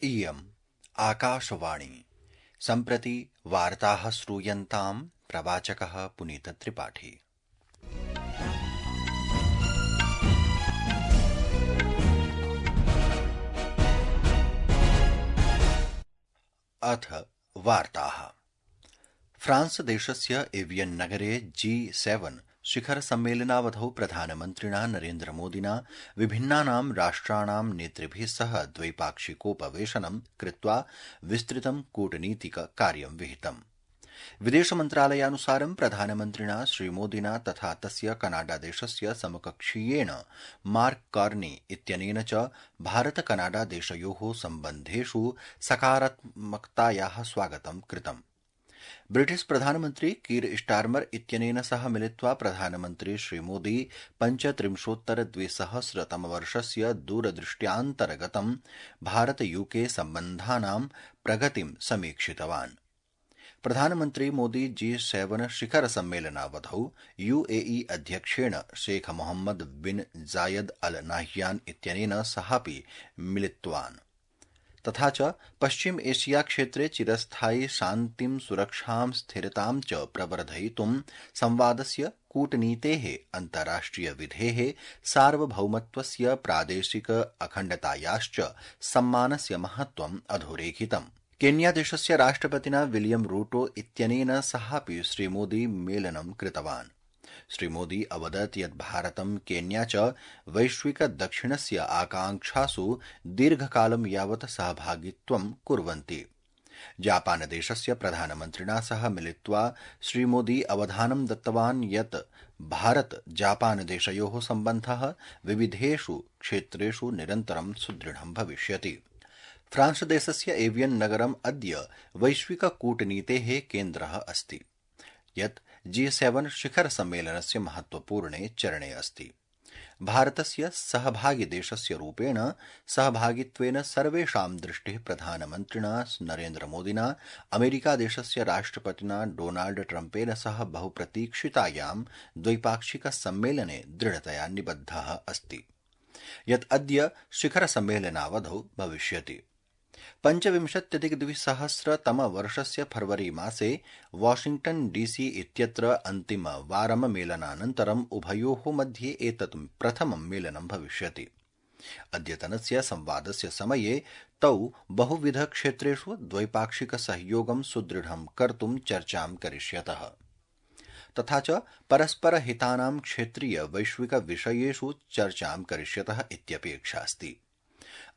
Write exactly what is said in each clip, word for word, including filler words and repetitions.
इयम् आकाशवाणी सम्प्रति वार्ताः श्रूयन्ताम् प्रवाचकः पुनीतत्रिपाठी। अथ वार्ताः। फ्रांस देशस्य एवियन् नगरे जी सेवन शिखर सम्मेलनावधौ प्रधानमन्त्रिणा नरेन्द्र मोदिना विभिन्नानां राष्ट्राणां नेतृभिः सह द्वैपाक्षिकोपवेशनं कृत्वा विस्तृतं कूटनीतिक कार्यं विहितम्। विदेशमन्त्रालयानुसारं प्रधानमन्त्रिणा श्रीमोदिना तथा तस्य कनाडादेशस्य समकक्षीयेण मार्क कार्नी इत्यनेन च भारत कनाडा देशयोः सम्बन्धेषु सकारात्मकतायाः स्वागतं कृतम्। ब्रिटिश प्रधानमन्त्री कीर स्टारमर इत्यनेन सह मिलित्वा प्रधानमन्त्री श्रीमोदी पञ्चत्रिंशोत्तर द्विसहस्रतमवर्षस्य दूरदृष्ट्यान्तर्गतं भारत यूके सम्बन्धानां प्रगतिं समीक्षितवान्। प्रधानमन्त्री मोदी जी सेवन शिखर सम्मेलनावधौ यूएई अध्यक्षेण शेख मोहम्मद बिन जायद अल नाह्यान इत्यनेन सहापि मिलितवान्। तथा च पश्चिम एशिया क्षेत्रे चिरस्थायि शान्तिं सुरक्षां स्थिरतां च प्रवर्धयितुं संवादस्य कूटनीतेः अन्ताराष्ट्रिय विधेः सार्वभौमत्वस्य प्रादेशिक अखण्डतायाश्च सम्मानस्य महत्त्वम् अधोरेखितम्। केन्यादेशस्य राष्ट्रपतिना विलियम रूटो इत्यनेन सहापि श्रीमोदी मेलनं कृतवान्। श्रीमोदी अवदत् यत् भारतं केन्या च वैश्विक दक्षिणस्य आकांक्षासु दीर्घकालं यावत् सहभागित्वं कुर्वन्ति। जापानदेशस्य प्रधानमन्त्रिणा सह मिलित्वा श्रीमोदी अवधानं दत्तवान् यत् भारत जापानदेशयोः सम्बन्धः विविधेषु क्षेत्रेषु निरन्तरं सुदृढं भविष्यति। फ्रांसदेशस्य एवियन् नगरम् अद्य वैश्विक कूटनीतेः केन्द्रः अस्ति, यत् जी सेवन शिखर सम्मेलनस्य महत्वपूर्णे चरणे अस्ति। भारतस्य सहभागिदेशस्य रूपेण सहभागित्वेन सर्वेषां दृष्टिः प्रधानमन्त्रिणा नरेन्द्र मोदिना अमेरिकादेशस्य राष्ट्रपतिना डोनाल्ड ट्रम्पेन सह बहुप्रतीक्षितायां द्वैपाक्षिक सम्मेलने दृढतया निबद्धः अस्ति, यत् अद्य शिखर सम्मेलनावधौ भविष्यति। पञ्चविंशत्यधिकद्विसहस्रतमवर्षस्य फरवरी मासे वाशिंग्टन डीसी इत्यत्र अन्तिमवारं मेलनानन्तरम् उभयोः मध्ये एतत् प्रथमं मेलनं भविष्यति। अद्यतनस्य संवादस्य समये तौ बहुविध क्षेत्रेषु द्वैपाक्षिक सहयोगं सुदृढं कर्तुं चर्चां करिष्यतः, तथा च परस्परहितानां क्षेत्रीय वैश्विक विषयेषु चर्चां करिष्यतः इत्यपेक्षास्ति।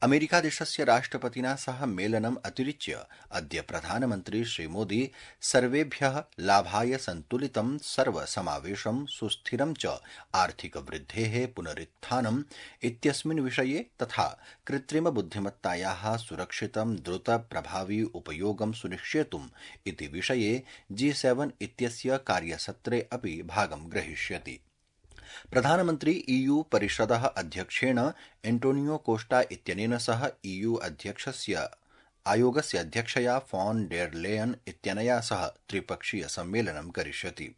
अमेरिकादेशस्य राष्ट्रपतिना सह मेलनम् अतिरिच्य अद्य प्रधानमन्त्री श्रीमोदी सर्वेभ्यः लाभाय सन्तुलितं सर्वसमावेशं सुस्थिरं च आर्थिकवृद्धेः पुनरुत्थानम् इत्यस्मिन् विषये तथा कृत्रिमबुद्धिमत्तायाः सुरक्षितं द्रुत प्रभावी उपयोगं सुनिश्चेतुम् इति विषये जी सेवन इत्यस्य कार्यसत्रे अपि भागं ग्रहीष्यति। प्रधानमन्त्री ईयू परिषदः अध्यक्षेण एंटोनियो कोस्टा इत्यनेन सह ईयू अध्यक्षस्य आयोगस्य अध्यक्षया फॉन डेर लेयन इत्यनया सह त्रिपक्षीय सम्मेलनं करिष्यति।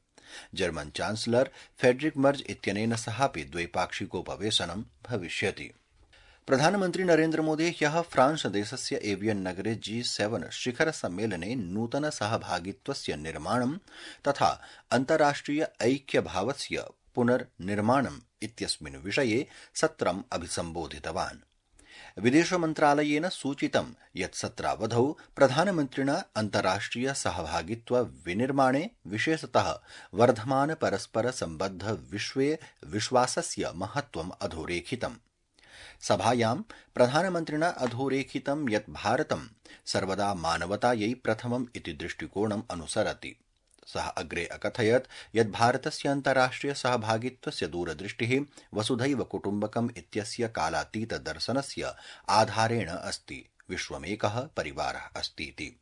जर्मन चांसलर फेडरिक मर्ज इत्यनेन सहापि द्वैपाक्षिकोपवेशनं भविष्यति। प्रधानमन्त्री नरेन्द्र मोदी ह्यः फ्रांस देशस्य एवियन् नगरे जी सेवन शिखर सम्मेलने नूतन सहभागित्वस्य निर्माणं तथा अन्ताराष्ट्रिय ऐक्यभावस्य पुनर्निर्माणम् इत्यस्मिन् विषये सत्रम् अभिसम्बोधितवान्। विदेशमन्त्रालयेन सूचितं यत् सत्रावधौ प्रधानमन्त्रिणा अन्ताराष्ट्रिय सहभागित्व विनिर्माणे विशेषतः वर्धमान परस्पर सम्बद्ध विश्वे विश्वासस्य महत्त्वम् अधोरेखितम्। सभायां प्रधानमन्त्रिणा अधोरेखितं यत् भारतं सर्वदा मानवतायै प्रथमम् इति दृष्टिकोणम् अनुसरति। सः अग्रे अकथयत् यत् भारतस्य अन्ताराष्ट्रिय सहभागित्वस्य दूरदृष्टिः वसुधैव कुटुम्बकम् इत्यस्य कालातीत दर्शनस्य आधारेण अस्ति। विश्वमेकः परिवारः अस्तीति।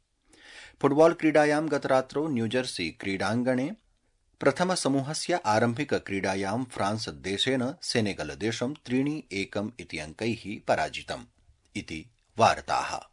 फुटबॉल क्रीडायां गतरात्रौ न्यूजर्सी क्रीडाङ्गणे प्रथमसमूहस्य आरम्भिक क्रीडायां फ्रांस देशेन सेनेगल देशं त्रीणि एकम् इति अङ्कैः पराजितम्। इति वार्ताः।